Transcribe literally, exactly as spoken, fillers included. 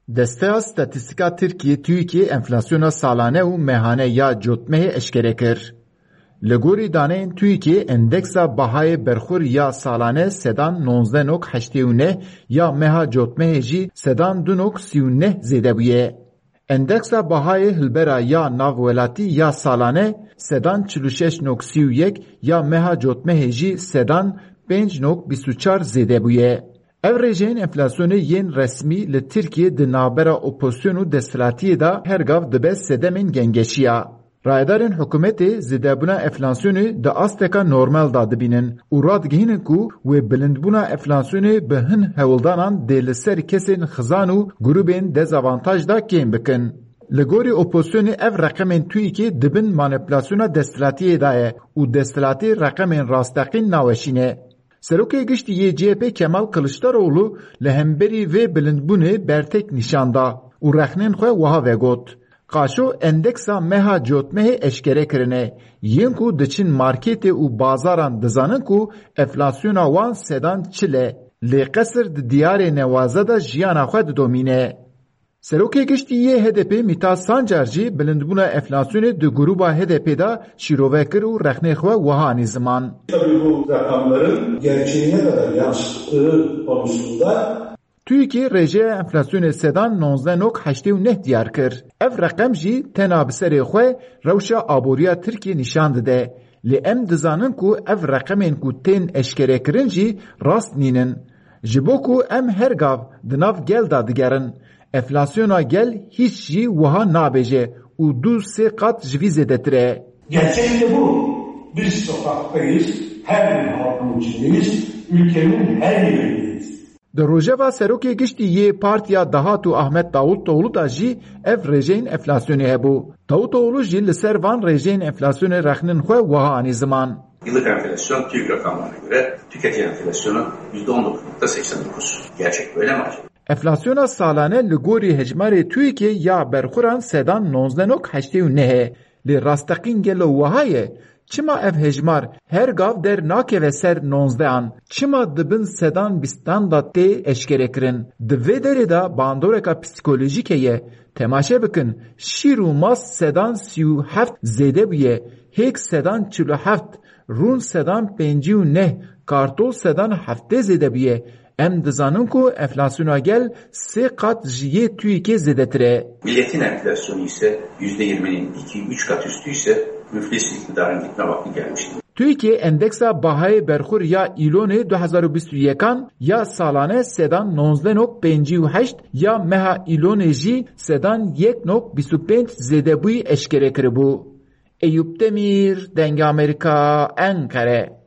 Desteya Statîstîka Tirkiyê, TÜİKê, enflasyona salane û mehane ya cotmehê eşkere kir. Li gorî daneyên TÜİKê, endeksa bahayê berxwir ya salane sedan nonzdeh nok heştê û neh, ya meha cotmehê jî sedan du nok sî û neh zêde bûye. Endeksa bahayê hilbera ya navwelatî ya salane sedan çil û şeş nok sî û yek, ya meha cotmehê jî sedan pênc nok bîst û çar zêde bûye. Ev rêjeyên enflasyonê yên resmî li Tirkiyê di navbera opozîsyon û desthilatiyê de her gav dibe sedemên gengeşiya. Rayedarên hikûmetê zêdebûna enflasyonê di asteka normal de dibînin û radigihînin ku wê bilindbûna enflasyonê bi hin hewldanan dê li ser kesên xizan û grûbên dezavantaj de kêm bikin. Li gorî opozîsyonê ev reqemên TÜİKê di bin manîpulasyona desthilatiyê de ye û desthilatî reqemên rasteqîn naweşîne. Serokê Giştî yê C H P Kemal Kiliçdaroglu li hemberî vê bilindbûnê bertek nîşan da û rexnên xwe wiha vegot, Qaşo endeksa meha cotmehê eşkere kirine, yên ku diçin marketê û bazaran dizanin ku enflasyona wan sedan çil e, lê qesir di diyarê newaze de jiyana xwe didomîne. Serokê Giştî yê H D P Mîta Sancar jî bilindbûna enflasyonê di grûba H D P de şîrove kir û rexnê xwe wiha anî ziman. Tabii bu rakamların gerçeği ne kadar yansıttığı konusunda TÜİKê rêjeya enflasyonê sedan nonzdeh nok heştê û neh diyar kir. Ev reqem jî tena bi serê xwe rewşa aboriya Tirkiyê nîşan dide. Lê em dizanin ku ev reqemên ku tên eşkerekirin jî rast nînin. Ji bo ku em her gav di nav gel de digerin, enflasyona gel hîç jî wiha nabêje û du sê qat ji vî zêdetir e. Gerçek de bu. Biz sokaktayız, her gün halkın içindeyiz, ülkenin her yerindeyiz. Di rojeva serokê giştî yê Partiya Dahat û Ahmet Davutoğlu da jî ev rêjeyên enflasyonê hebû. Davutoğlu jî li ser van rêjeyên enflasyonê rexnên xwe wiha anî ziman. Yıllık enflasyon TÜİK rakamlarına göre tüketici enflasyonu yüzde on dokuz nokta seksen dokuz. Gerçek böyle mi acaba? Enflasyona salane li gorî hejmarê TÜİKê ya berxuran sedan nonzdeh nok heştê û neh e. Lê rasteqîn gelo wiha ye? Çima ev hejmar her gav der nakeve ser nonzdehan? Çima di bin sedan bîstan de tê eşkerekirin? Di vê derê de bandoreka psîkolojîk heye. Temaşe bikin, şîr û mast sedan sî û heft zêde bûye, hêk sedan çil û heft, rûn sedan pêncî û neh, kartol sedan heftê zêde bûye. Em dizanin ku enflasyona gel sê qat ji yê TÜİKê zêdetir e. Milletin enflasyonu ise yüzde yirminin iki üç kat üstü ise müflis iktidarın gitme vakti gelmiştir. TÜİKê endeksa bahayê berxur ya îlonê du hezar û bîst û yekan ya salane sedan nonzdeh nok pêncî û heşt, ya meha îlonê jî sedan yek nok bîst û pênc zêdebûyî eşkere kiribû. Eyûp Demîr, Dengê Amerîka, Enqere.